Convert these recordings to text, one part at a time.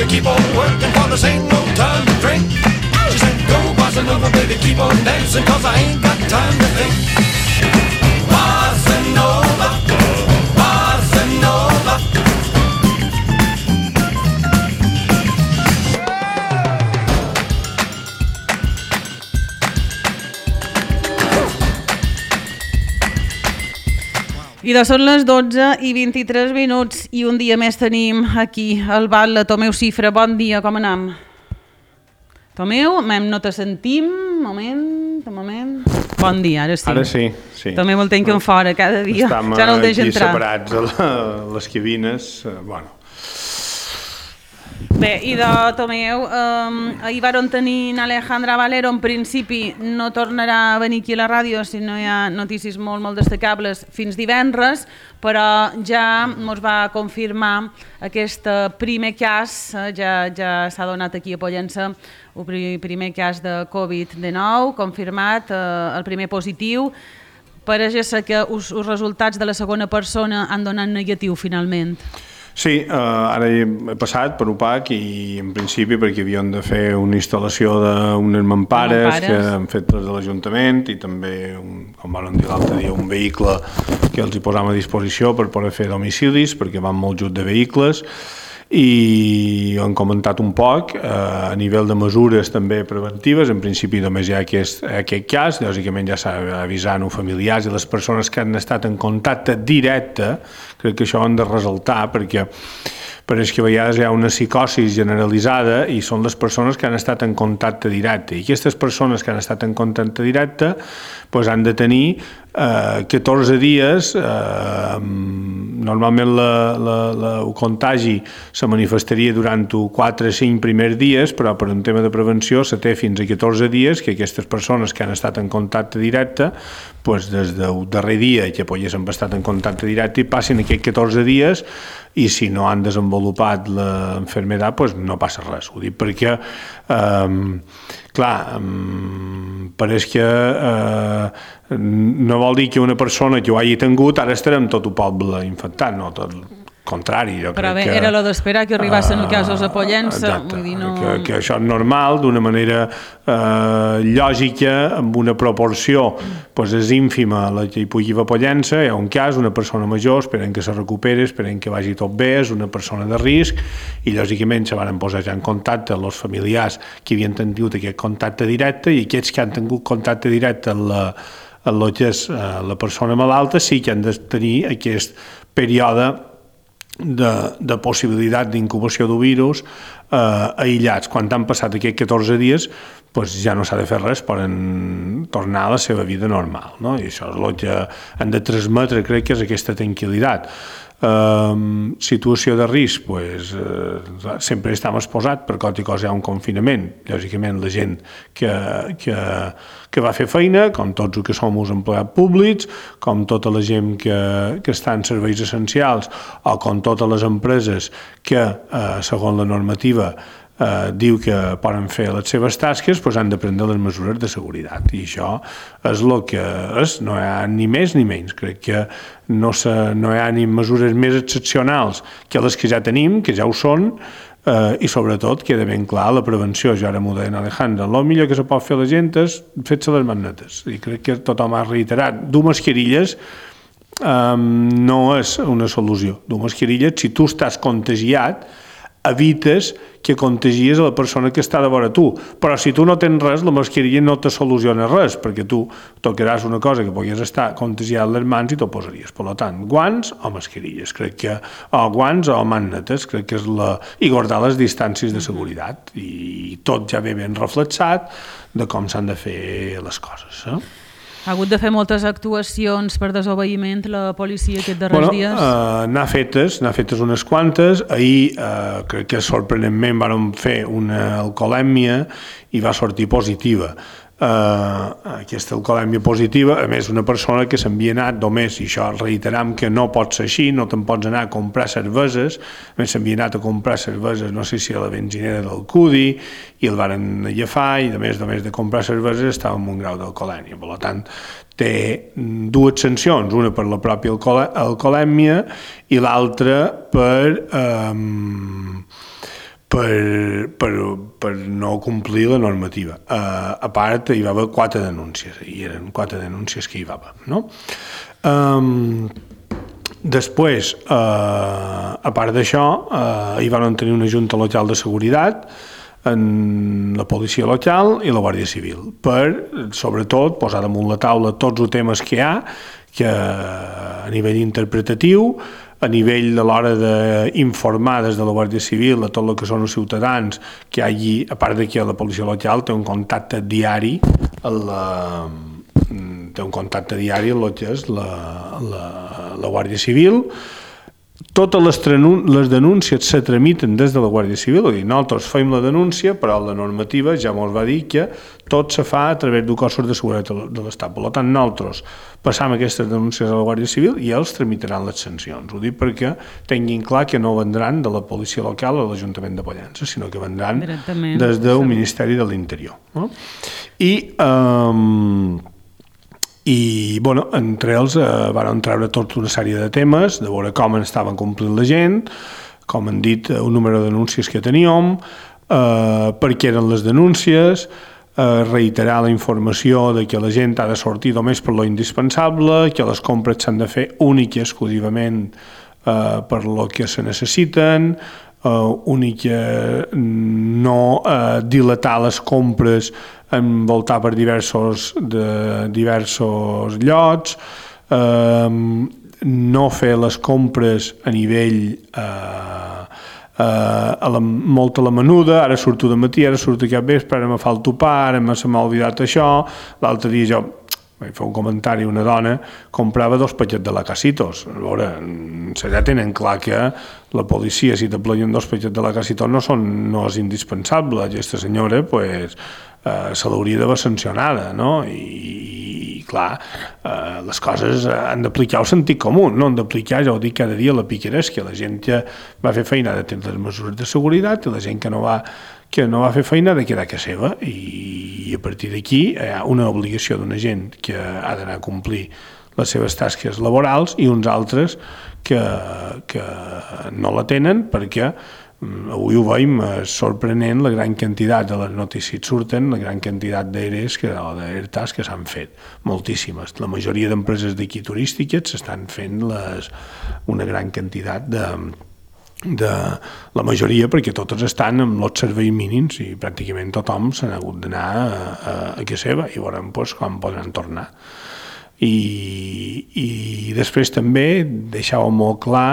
keep on working, for this ain't no time to drink. She said, go bossa nova, baby, keep on dancing, cause I ain't got time to think. Bossa nova, bossa nova. I són les 12:23 i un dia més tenim aquí al bar la Tomeu Cifra. Bon dia, com anem? Tomeu, no te sentim. Moment. Bon dia, ara sí. Ara sí. Tomeu el tenc fora cada dia. Estem ja no el deixa entrar. Estem separats a les cabines. Bé, i de Tomeu, ahir vàrem tenir Alejandra Valero, en principi no tornarà a venir aquí a la ràdio si no hi ha notícies molt destacables fins divendres, però ja ens va confirmar aquest primer cas, ja s'ha donat aquí a Pollença, el primer cas de Covid-19, confirmat, el primer positiu. Pareix ser que els resultats de la segona persona han donat negatiu finalment. Sí, ara he passat per UPAC i en principi perquè havíem de fer una instal·lació d'unes mampares que han fet des de l'Ajuntament i també, com vam dir l'altre dia, un vehicle que els hi posam a disposició per poder fer domicilis perquè van molt just de vehicles i han comentat un poc a nivell de mesures també preventives. En principi només hi ha aquest cas, lògicament ja s'ha avisat els familiars i les persones que han estat en contacte directe. Crec que això ho han de ressaltar perquè pareix que a vegades hi ha una psicosi generalitzada i són les persones que han estat en contacte directe i aquestes persones que han estat en contacte directe han de tenir 14 dies. Normalment el contagi se manifestaria durant 4 o 5 primers dies, però per un tema de prevenció se té fins a 14 dies que aquestes persones que han estat en contacte directe, des del darrer dia que haguessin estat en contacte directe, passin aquests 14 dies i si no han desenvolupat l'enfermedad no passa res. Ho dic perquè pareix que no vol dir que una persona que ho hagi tingut ara estarà amb tot el poble infectat, no, tot el contrari. Però bé, era lo d'esperar que arribassin casos a Pollença. Que això és normal, d'una manera lògica, amb una proporció és ínfima la que hi pugui haver a Pollença. Hi ha un cas, una persona major, esperem que se recuperi, esperem que vagi tot bé, és una persona de risc i lògicament se van posar ja en contacte els familiars que havien tingut aquest contacte directe i aquests que han tingut contacte directe amb el que és la persona malalta sí que han de tenir aquest període de possibilitat d'incubació del virus aïllats. Quan han passat aquests 14 dies ja no s'ha de fer res, poden tornar a la seva vida normal, no? I això és el que han de transmetre, crec que és aquesta tranquil·litat. Situació de risc, sempre estem exposats per qualsevol cosa, hi ha un confinament. Lògicament la gent que va fer feina, com tots els que som els empleats públics, com tota la gent que està en serveis essencials o com totes les empreses que, segons la normativa, diu que poden fer les seves tasques, han de prendre les mesures de seguretat i això és el que és, no hi ha ni més ni menys. Crec que no hi ha ni mesures més excepcionals que les que ja tenim, que ja ho són, i sobretot queda ben clar la prevenció. Jo ara m'ho deia Alejandra, el millor que se pot fer a la gent és fer-se les magnetes i crec que tothom ha reiterat. Dur mascarilles no és una solució. Dur mascarilles, si tu estàs contagiat, evites que contagies a la persona que està de vora tu, però si tu no tens res, la mascarilla no te soluciona res, perquè tu tocaràs una cosa que puguis estar contagiat a les mans i t'ho posaries. Per tant, guants o mascarilles, o guants o magnetes, crec que és i guardar les distàncies de seguretat, i tot ja ve ben reflexat de com s'han de fer les coses. Ha hagut de fer moltes actuacions per desobeïment la policia aquests darrers dies? N'ha fetes unes quantes. Ahir crec que sorprenentment vàrem fer una alcoholèmia i va sortir positiva. Aquesta alcoholèmia positiva, a més una persona que s'havia anat només, i això reiteram que no pot ser així, no te'n pots anar a comprar cerveses, a més s'havia anat a comprar cerveses, no sé si a la benzinera del Cudi, i el varen agafar, i a més de comprar cerveses estava en un grau d'alcoholèmia. Per tant, té dues sancions, una per la pròpia alcoholèmia i l'altra per no complir la normativa. A part, hi va haver 4 denúncies, i eren 4 denúncies que hi va haver, no? Després, a part d'això, hi van tenir una junta local de seguretat en la policia local i la Guàrdia Civil per, sobretot, posar damunt la taula tots els temes que hi ha, que a nivell interpretatiu, a nivell de l'hora d'informar des de la Guàrdia Civil a tot el que són els ciutadans, que hi hagi, a part de que la policia local té un contacte diari amb el que és la Guàrdia Civil. Totes les denúncies se tramiten des de la Guàrdia Civil, és a dir, nosaltres fem la denúncia, però la normativa ja ens va dir que tot se fa a través de cossos de seguretat de l'Estat. Per tant, nosaltres passam aquestes denúncies a la Guàrdia Civil i ells tramitaran les sancions. Ho dic perquè tinguin clar que no vendran de la policia local o de l'Ajuntament de Pollença, sinó que vendran des del Ministeri de l'Interior. No? I, bueno, entre ells van treure tota una sèrie de temes, de veure com estaven complint la gent, com han dit, un número de denúncies que teníem, per què eren les denúncies, reiterar la informació de que la gent ha de sortir només per lo indispensable, que les compres s'han de fer únic i exclusivament per lo que se necessiten, no dilatar les compres envoltar per diversos llocs, no fer les compres a nivell molt a la menuda, ara surto de matí, ara surto aquest vespre, ara me fa el topar, ara se m'ha oblidat això, l'altre dia jo vaig fer un comentari, una dona comprava 2 paquets de lacasitos. A veure, ja tenen clar que la policia, si te pleien 2 paquets de lacasitos, no és indispensable. Aquesta senyora, pues, se l'hauria d'haver sancionada, no? I clar, les coses han d'aplicar el sentit comú, no han d'aplicar, ja ho dic cada dia, la picaresca. La gent que va fer feina de tenir les mesures de seguretat i la gent que no va fer feina de quedar a casa seva, i a partir d'aquí hi ha una obligació d'una gent que ha d'anar a complir les seves tasques laborals i uns altres que no la tenen, perquè avui ho veiem, és sorprenent la gran quantitat de les notícies surten, la gran quantitat d'ERTAs que s'han fet, moltíssimes. La majoria d'empreses d'aquí turístiques s'estan fent una gran quantitat de la majoria, perquè totes estan amb els serveis mínims i pràcticament tothom s'ha hagut d'anar a casa seva i veurem com podran tornar. I després també deixava molt clar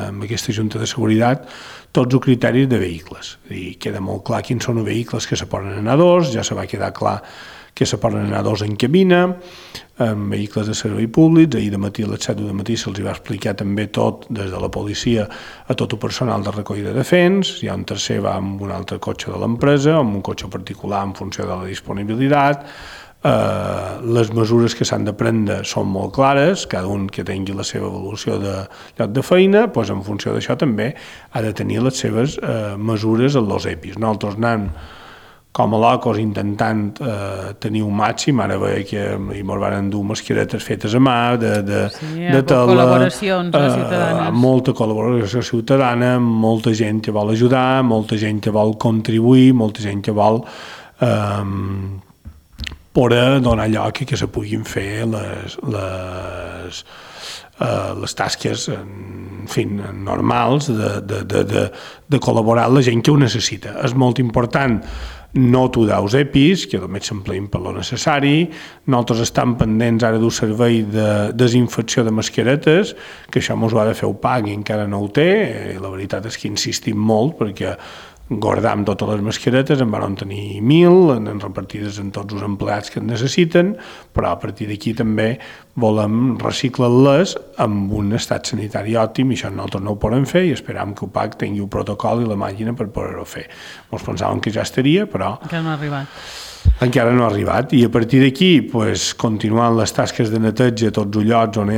amb aquesta Junta de Seguretat tots els criteris de vehicles. Queda molt clar quins són els vehicles que se poden anar a 2, ja se va quedar clar que se poden anar 2 en cabina, amb vehicles de servei públics. Ahir de matí a les 7 de matí se'ls va explicar també tot, des de la policia a tot el personal de recollida de fens. Hi ha un tercer va amb un altre cotxe de l'empresa, amb un cotxe particular en funció de la disponibilitat. Les mesures que s'han de prendre són molt clares, cada un que tingui la seva evolució de lloc de feina, doncs en funció d'això també ha de tenir les seves mesures en els EPIs. Nosaltres anem com a locos intentant tenir un màxim. Ara veia que ens van dur mascaretes fetes a mà, de tela, col·laboracions ciutadanes. Molta col·laboració ciutadana, molta gent que vol ajudar, molta gent que vol contribuir, molta gent que vol poder donar lloc que se puguin fer les tasques normals de col·laborar amb la gent que ho necessita. És molt important no aturar els EPIs, que només s'empleïn per lo necessari. Nosaltres estem pendents ara d'un servei de desinfecció de mascaretes, que això ens ho ha de fer el PAC i encara no ho té. La veritat és que insistim molt, perquè guardam totes les mascaretes, en van tenir 1.000, repartides en tots els empleats que en necessiten, però a partir d'aquí també volem reciclar-les amb un estat sanitari òptim, i això nosaltres no ho podem fer, i esperam que el PAC tingui el protocol i la màquina per poder-ho fer. Ens pensàvem que ja estaria, però encara no ha arribat. I a partir d'aquí, continuant les tasques de neteja a tots els llocs on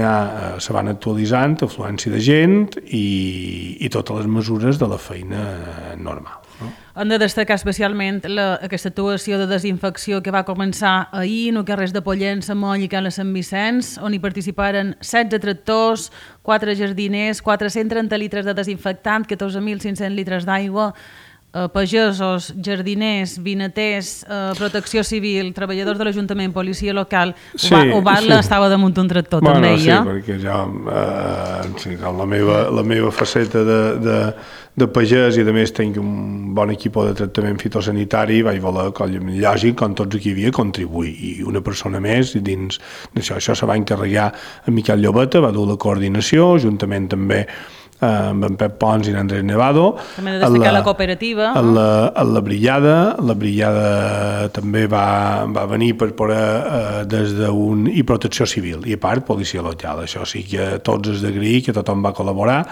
se van actualitzant, afluència de gent i totes les mesures de la feina normal. Hem de destacar especialment aquesta actuació de desinfecció que va començar ahir en els carrers de Pollença, Moll i Cala Sant Vicenç, on hi participaren 16 tractors, 4 jardiners, 430 litres de desinfectant, 14.500 litres d'aigua. pagesos, jardiners, vinaters, protecció civil, treballadors de l'Ajuntament, policia local, Oval estava damunt un tractor també, sí, perquè ja la meva faceta de pagès, i a més tinc un bon equip de tractament fitosanitari, vaig voler, lògic, com tots aquí havia, contribuir, i una persona més dins d'això. Això se va encarregar a Miquel Llobeta, va dur la coordinació, juntament també amb en Pep Pons i l'Andrés Nevado. També de destacar la cooperativa. La brigada també va venir per poder des d'un... i protecció civil, i a part policia local. Això sí que tots és d'agrair, que tothom va col·laborar.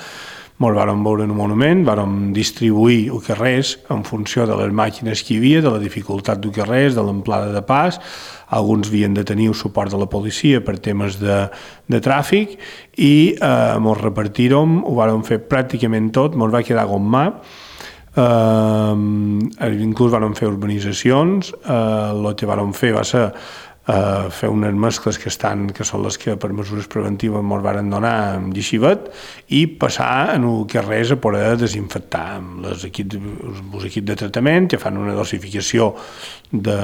Ens vàrem veure en un monument, vàrem distribuir el carrers en funció de les màquines que hi havia, de la dificultat del carrers, de l'amplada de pas. Alguns havien de tenir el suport de la policia per temes de tràfic, i ens repartirem, ho vàrem fer pràcticament tot, ens va quedar gommà. Inclús vàrem fer urbanitzacions, el que vàrem fer va ser fer unes mescles que són les que per mesures preventives ens varen donar amb llixivet, i passar en el carrers a poder desinfectar amb els equips de tractament, que fan una dosificació de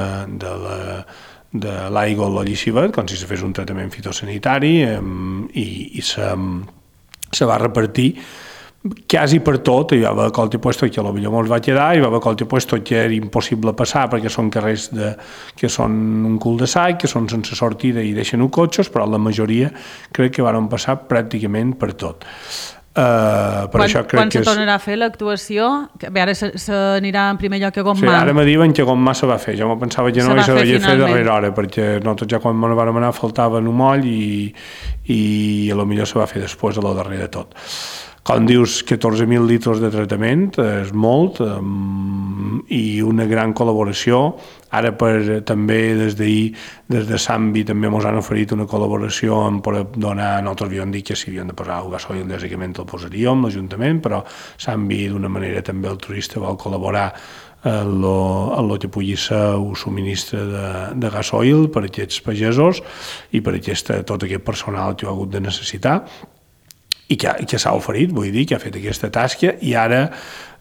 l'aigua o el llixivet, com si se fes un tractament fitosanitari, i se va repartir quasi per tot. Hi va haver qualque puesto que potser ens va quedar, hi va haver qualque puesto que era impossible passar perquè són carrers que són un cul-de-sac, que són sense sortida i deixen cotxes, però la majoria crec que van passar pràcticament per tot. Quan se tornarà a fer l'actuació? Ara s'anirà en primer lloc a Gommà. Sí, ara me diuen que Gommà se va fer. Jo me pensava que no, i se devia fer darrere hora, perquè nosaltres ja quan me vam anar faltava un moll, i potser se va fer després de lo darrere de tot. Com dius, 14.000 litres de tractament és molt, i una gran col·laboració. Ara també des d'ahir, des de Sambi, també ens han oferit una col·laboració per donar, nosaltres havíem dit que si havien de posar el gasoil, lògicament el posaríem, l'Ajuntament, però Sambi d'una manera també altruista vol col·laborar en el que pugui ser un subministre de gasoil per a aquests pagesos i per a tot aquest personal que ho ha hagut de necessitar, i que s'ha oferit, vull dir, que ha fet aquesta tasca, i ara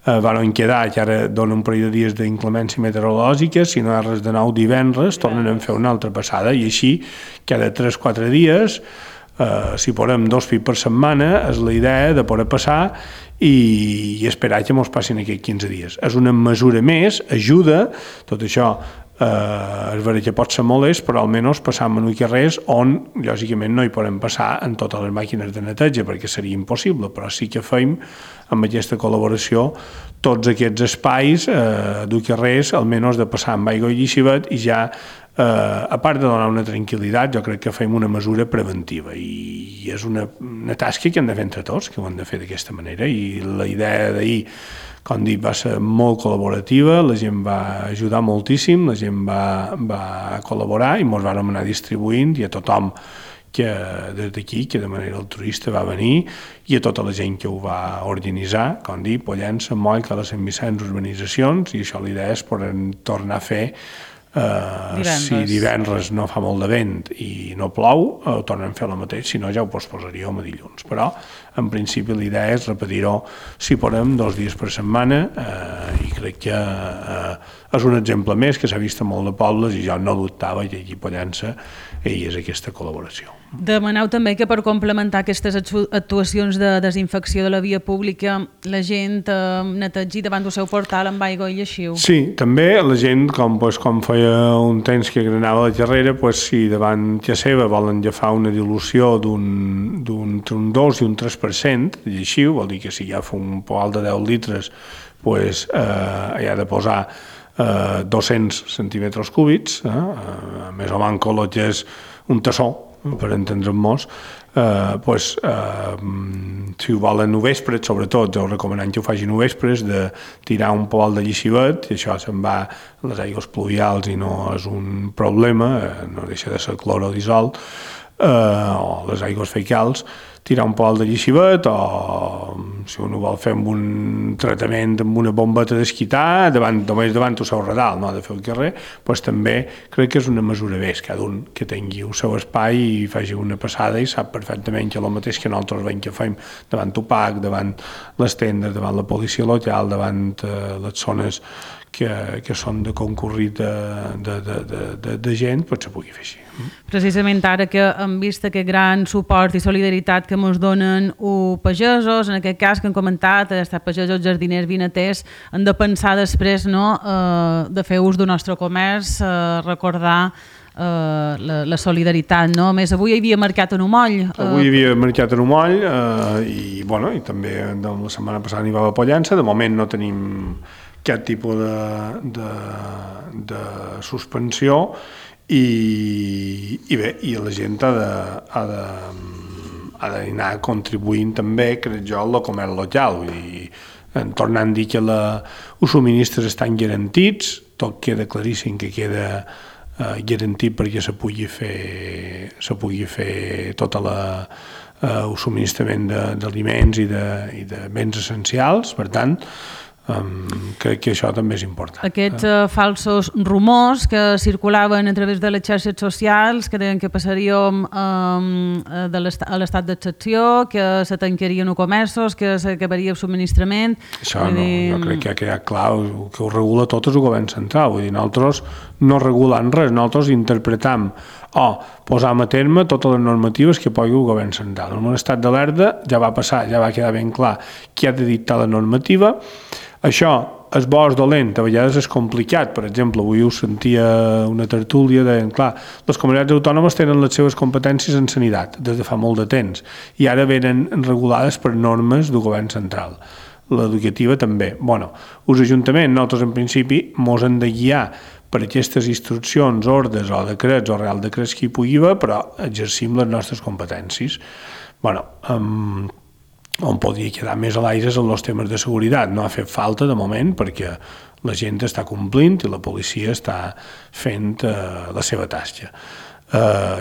van quedar, que ara dona un parell de dies d'inclemència meteorològica, si no hi ha res de nou divendres, tornen a fer una altra passada, i així cada 3-4 dies, si podem 2 fills per setmana, és la idea de poder passar i esperar que ens passin aquests 15 dies. És una mesura més, ajuda, tot això. És veritat que pot ser molest, però almenys passam en carrers on, lògicament, no hi podem passar en totes les màquines de neteja, perquè seria impossible, però sí que fem, amb aquesta col·laboració, tots aquests espais d'un carrers, almenys de passar amb aigua i llixivet, i ja, a part de donar una tranquil·litat, jo crec que fem una mesura preventiva, i és una tasca que hem de fer entre tots, que ho hem de fer d'aquesta manera, i la idea d'ahir, com dic, va ser molt col·laborativa, la gent va ajudar moltíssim, la gent va col·laborar, i ens vam anar distribuint, i a tothom que des d'aquí, que de manera altruista va venir, i a tota la gent que ho va organitzar, com dic, Pollença, Moll, Cala Sant Vicenç, urbanitzacions, i això l'idea és poder tornar a fer. Si divendres no fa molt de vent i no plou, ho tornem a fer el mateix, si no ja ho posposaríem a dilluns, però en principi l'idea és repetir-ho, si podem, 2 dies per setmana, i crec que és un exemple més que s'ha vist en molt de pobles, i jo no dubtava que aquí a Pollença hi és aquesta col·laboració. Demaneu també que per complementar aquestes actuacions de desinfecció de la via pública la gent netegi davant del seu portal amb aigua i lleixiu. Sí, també la gent, com feia un temps que granava la carrera, si davant que seva volen agafar una dilució d'un 2 i un 3% de lleixiu, vol dir que si ja fa un poal de 10 litres hi ha de posar 200 centímetres cúbics, més o menys el que és un tassó, per entendre'ns, si ho volen a vespres, sobretot, jo recomanant que ho facin a vespres, de tirar un poal de llixivet, i això se'n va a les aigües pluvials i no és un problema, no deixa de ser cloro dissolt, o les aigües fecals, tirar un poc de lleixibet, o si un ho vol fer amb un tractament amb una bombeta d'esquitar, només davant el seu redal, no ha de fer el carrer, doncs també crec que és una mesura més, cada un que tingui el seu espai i faci una passada i sap perfectament que el mateix que nosaltres veiem que fem davant Tupac, davant les tendes, davant la policia local, davant les zones que són de concurrit de gent, doncs se pugui fer així. Precisament ara que hem vist aquest gran suport i solidaritat que ens donen els pagesos, en aquest cas que hem comentat, estar pagesos, jardiners, vinaters, hem de pensar després, no, de fer ús del nostre comerç, recordar la solidaritat, no? A més, avui hi havia mercat en Umoll. Avui hi havia mercat en Umoll i també la setmana passada n'hi va a Pollença. De moment no tenim cap tipus de suspensió i bé, i la gent ha d'anar contribuint també, crec jo, al comerç local. Vull dir, tornant a dir que els subministres estan garantits, tot queda claríssim que queda garantit perquè se pugui fer tot el subministrament d'aliments i de béns essencials. Per tant, crec que això també és important. Aquests falsos rumors que circulaven a través de les xarxes socials, que deien que passaríem a l'estat d'excepció, que se tancarien els comerços, que s'acabaria el subministrament... Això no, jo crec que ha quedat clar, que ho regula tot el govern central. Vull dir, nosaltres no regulem res, nosaltres interpretam o posam a terme totes les normatives que pugui el govern central. En un estat d'alerta ja va passar, ja va quedar ben clar qui ha de dictar la normativa. Això és bo o és dolent, a vegades és complicat. Per exemple, avui us sentia una tertúlia deien, clar, les comunitats autònomes tenen les seves competències en sanitat des de fa molt de temps i ara venen regulades per normes del govern central. L'educativa també. Bueno, els ajuntaments, nosaltres en principi, mos hem de guiar per aquestes instruccions, ordres o decrets o real decrets que hi pugui haver, però exercim les nostres competències. Bueno, on podria quedar més a l'aire en els temes de seguretat. No ha fet falta de moment perquè la gent està complint i la policia està fent la seva tasca.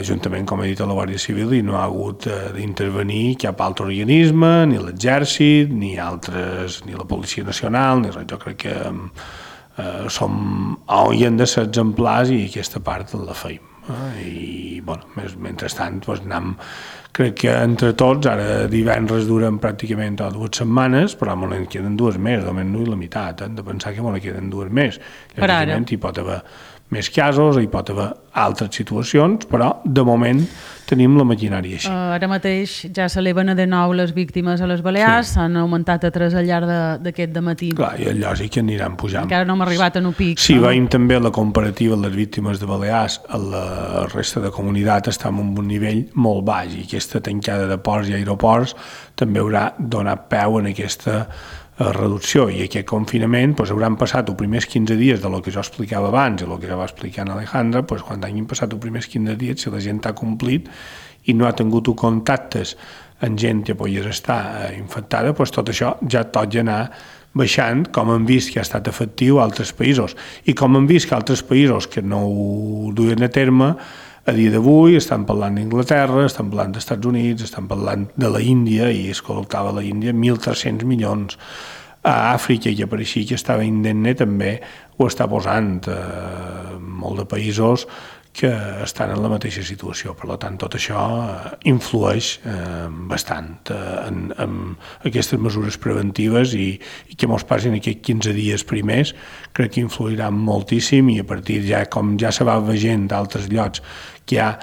Juntament, com he dit, a la Guàrdia Civil i no ha hagut d'intervenir cap altre organisme, ni l'Exèrcit, ni la Policia Nacional, ni res. Jo crec que hi hem de ser exemplars i aquesta part la feim. I, bueno, mentrestant, crec que entre tots, ara divendres duren pràcticament 2 setmanes, però me n'en queden 2 més, almenys no i la meitat, hem de pensar que me n'en queden 2 més. Lògicament, hi pot haver més casos, hi pot haver altres situacions, però de moment tenim la maquinària així. Ara mateix ja s'eleven de nou les víctimes a les Balears, s'han augmentat a 3 al llarg d'aquest dematí. Clar, i és lògic que aniran pujant. Encara no hem arribat en un pic. Si veiem també la comparativa de les víctimes de Balears a la resta de comunitat, estem en un nivell molt baix i aquesta tancada de ports i aeroports també haurà donat peu en aquesta reducció i aquest confinament hauran passat els primers 15 dies de lo que jo explicava abans i el que ja va explicar en Alejandra, quan hagin passat els primers 15 dies, si la gent ha complit i no ha tingut contactes amb gent que pogués estar infectada, tot això ja tot ja anar baixant, com hem vist que ha estat efectiu a altres països i com hem vist que altres països que no ho duien a terme a dia d'avui estan parlant d'Inglaterra, estan parlant dels Estats Units, estan parlant de la Índia, i es col·loctava a la Índia 1.300 milions. A Àfrica, que pareixia que estava indemne, també ho està posant. Molt de països que estan en la mateixa situació. Per tant, tot això influeix bastant en aquestes mesures preventives i que mos passin aquests 15 dies primers, crec que influiran moltíssim i a partir ja, com ja se va veient d'altres llocs, que hi ha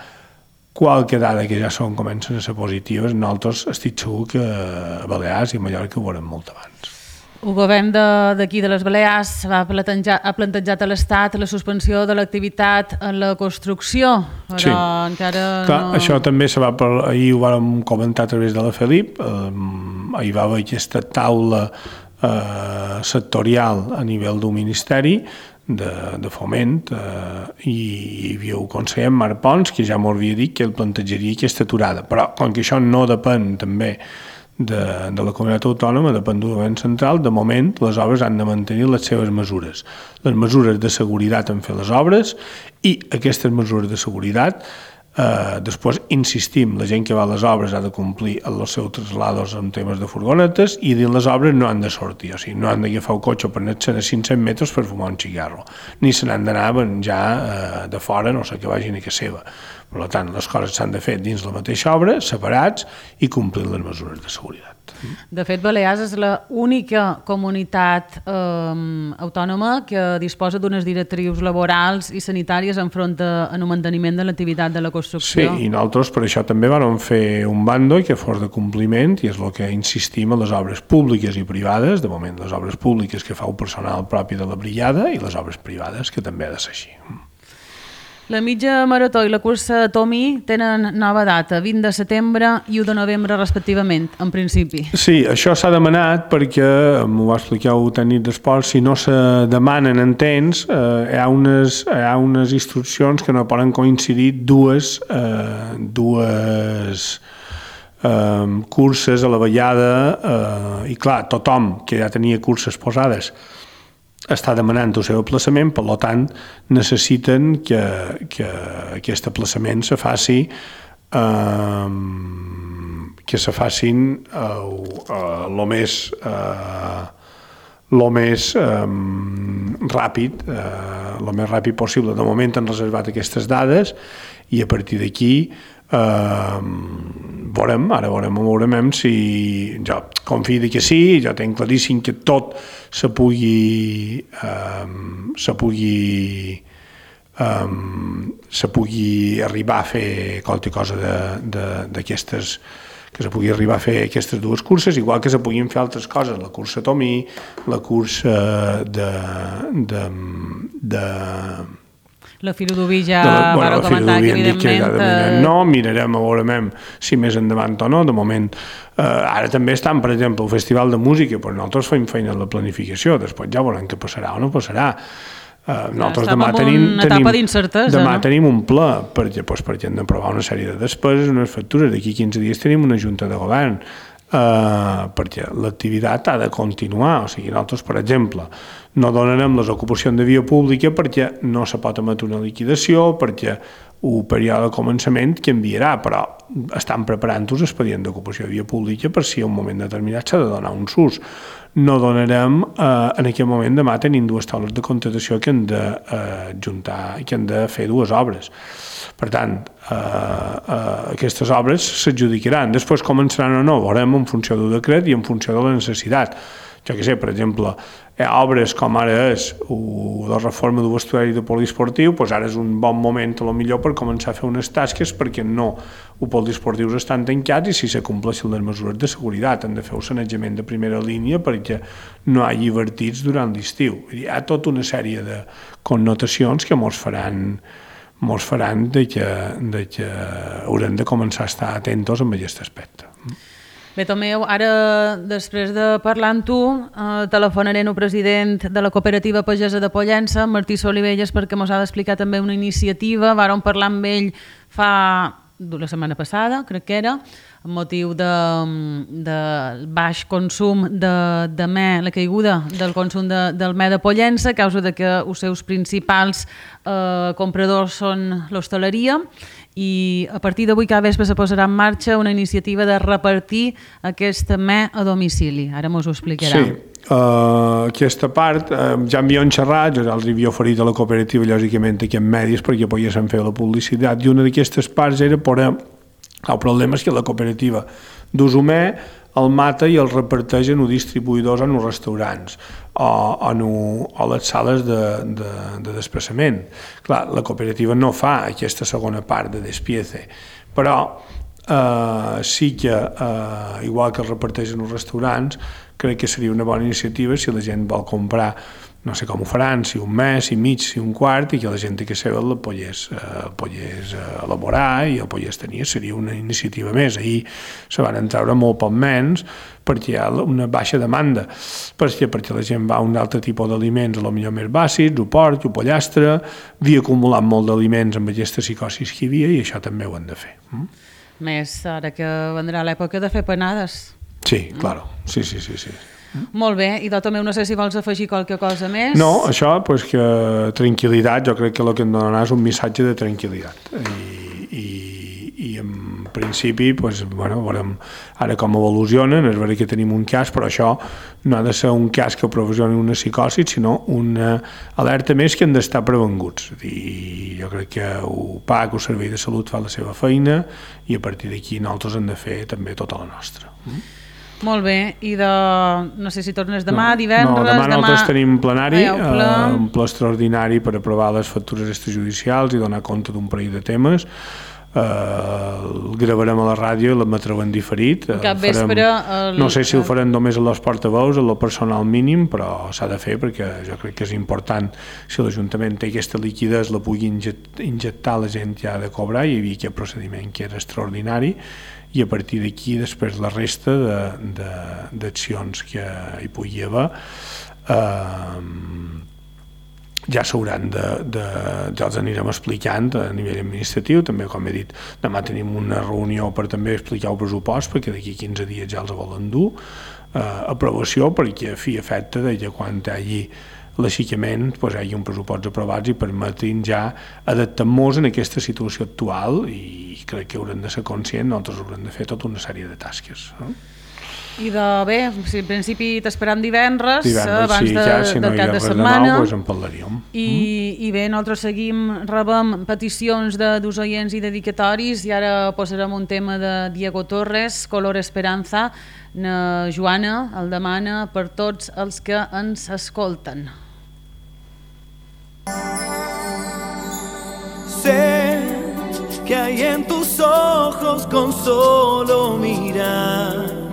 qualque dada que ja comencen a ser positives, nosaltres estic segur que a Balears i a Mallorca ho veurem molt abans. El govern d'aquí de les Balears ha plantejat a l'Estat la suspensió de l'activitat en la construcció, però sí. Encara clar, no... Això també ahir ho vam comentar a través de la Felip, ahir va haver aquesta taula sectorial a nivell d'un ministeri de foment i hi havia el conseller Marc Pons que ja m'ho havia dit que el plantejaria aquesta aturada, però com que això no depèn també de la comunitat autònoma, depèn del govern central, de moment les obres han de mantenir les seves mesures, les mesures de seguretat en fer les obres i aquestes mesures de seguretat Després insistim, la gent que va a les obres ha de complir els seus traslados en temes de furgonetes i dins les obres no han de sortir, o sigui, no han d'agafar el cotxe per anar-se'n a 500 metres per fumar un cigarro, ni se n'han d'anar ja de fora, no sé que vagin a casa seva. Per tant, les coses s'han de fer dins la mateixa obra, separats i complir les mesures de seguretat. De fet, Balears és l'única comunitat autònoma que disposa d'unes directrius laborals i sanitàries enfront al manteniment de l'activitat de la construcció. Sí, i nosaltres per això també vam fer un bando que fos de compliment, i és el que insistim a les obres públiques i privades, de moment les obres públiques que fa el personal propi de la brigada i les obres privades, que també ha de ser així. La mitja marató i la cursa Tomí tenen nova data, 20 de setembre i 1 de novembre respectivament, en principi. Sí, això s'ha demanat perquè, m'ho va explicar el tècnic d'esport, si no se demanen en temps, hi ha unes instruccions que no poden coincidir dues curses a la vallada, i clar, tothom que ja tenia curses posades està demanant el seu aplaçament, per tant necessiten que aquest aplaçament se faci el més ràpid possible. De moment han reservat aquestes dades i a partir d'aquí veurem si jo confio que sí, jo tenc claríssim que tot se pugui arribar a fer qualque cosa d'aquestes, que se pugui arribar a fer aquestes dues curses, igual que se puguin fer altres coses, la cursa Tomí, la cursa La Filo-Dubí ja va comentar que evidentment... No, mirarem a veure si més endavant o no. De moment, ara també estan, per exemple, el Festival de Música, però nosaltres fem feina en la planificació, després ja veurem què passarà o no passarà. Nosaltres demà tenim un pla perquè hem d'aprovar una sèrie de despeses, unes factures. D'aquí 15 dies tenim una junta de govern, perquè l'activitat ha de continuar. O sigui, nosaltres, per exemple, no donarem les ocupacions de via pública perquè no se pot emetre una liquidació, perquè el període de començament canviarà, però estan preparant un expedient d'ocupació de via pública per si en un moment determinat s'ha de donar un SUS. No donarem, en aquest moment demà tenim dues taules de contractació que han d'ajuntar, que han de fer dues obres. Per tant, aquestes obres s'adjudicaran. Després començaran o no, veurem en funció del decret i en funció de la necessitat. Jo què sé, per exemple, obres com ara és la reforma del vestuari de poliesportiu, doncs ara és un bon moment a lo millor per començar a fer unes tasques perquè no, els poliesportius estan tancats i si se compleixen les mesures de seguretat han de fer un sanejament de primera línia perquè no hi hagi divertits durant l'estiu. Hi ha tota una sèrie de connotacions que mos faran de que haurem de començar a estar atentos amb aquest aspecte. Bé, Tomeu, ara, després de parlar amb tu, telefonaré al president de la cooperativa pagesa de Pollença, Martí Solivelles, perquè ens ha d'explicar també una iniciativa. Vàrem parlar amb ell la setmana passada, crec que era, amb motiu del baix consum de me, la caiguda del consum del me de Pollença, a causa de que els seus principals compradors són l'hostaleria, i a partir d'avui cada vespre se posarà en marxa una iniciativa de repartir aquest me a domicili. Ara mos ho explicarà. Sí, aquesta part ja havíem xerrat, jo els havia oferit a la cooperativa lògicament aquests medis perquè poguessin fer la publicitat, i una d'aquestes parts era el problema és que la cooperativa d'Usumè el mata i el reparteixen els distribuïdors en els restaurants o les sales de desplaçament. Clar, la cooperativa no fa aquesta segona part de despiece, però sí que, igual que es reparteixen els restaurants, crec que seria una bona iniciativa si la gent vol comprar, no sé com ho faran, si un mes, si mig, si un quart, i que la gent que seva el pogués elaborar i el pogués tenir. Seria una iniciativa més. Ahir se van treure molt poc menys perquè hi ha una baixa demanda, perquè la gent va a un altre tipus d'aliments, potser més bàsics, o porc, o pollastre, havia acumulat molt d'aliments amb aquesta psicosis que hi havia i això també ho han de fer. Més ara que vendrà l'època de fer panades. Sí, claro, sí. Molt bé, i Tomeu, no sé si vols afegir qualque cosa més. No, això, que tranquil·litat, jo crec que el que em donarà és un missatge de tranquil·litat i principi, veurem ara com evolucionen, és veritat que tenim un cas, però això no ha de ser un cas que provocioni una psicosi, sinó una alerta més que han d'estar prevenguts. I jo crec que el PAC, el Servei de Salut, fa la seva feina i a partir d'aquí nosaltres hem de fer també tota la nostra. Molt bé, i no sé si tornes demà, divendres... No, demà nosaltres tenim plenari, un ple extraordinari per aprovar les factures extrajudicials i donar compte d'un parell de temes. El gravarem a la ràdio i l'emetreu en diferit. Cap vespre... No sé si el farem només a les portaveus, a lo personal mínim, però s'ha de fer perquè jo crec que és important, si l'Ajuntament té aquesta liquiditat, la pugui injectar, la gent ja ha de cobrar, hi havia aquest procediment que era extraordinari, i a partir d'aquí després la resta d'accions que hi pugui haver ja s'hauran ja els anirem explicant a nivell administratiu. També, com he dit, demà tenim una reunió per també explicar el pressupost, perquè d'aquí 15 dies ja els volen dur aprovació, perquè a fi efecte de que quan hi hagi l'aixecament hi hagi un pressupost aprovats i permetin ja adaptar-nos en aquesta situació actual, i crec que haurem de ser conscients, nosaltres haurem de fer tota una sèrie de tasques. I bé, si en principi t'esperam divendres abans sí, si no del cap de setmana, en parlaríem. I bé, nosaltres rebem peticions dels oients i dedicatoris, i ara posarem un tema de Diego Torres, Color Esperanza. Joana el demana per tots els que ens escolten. Sé que hay en tus ojos con solo mirar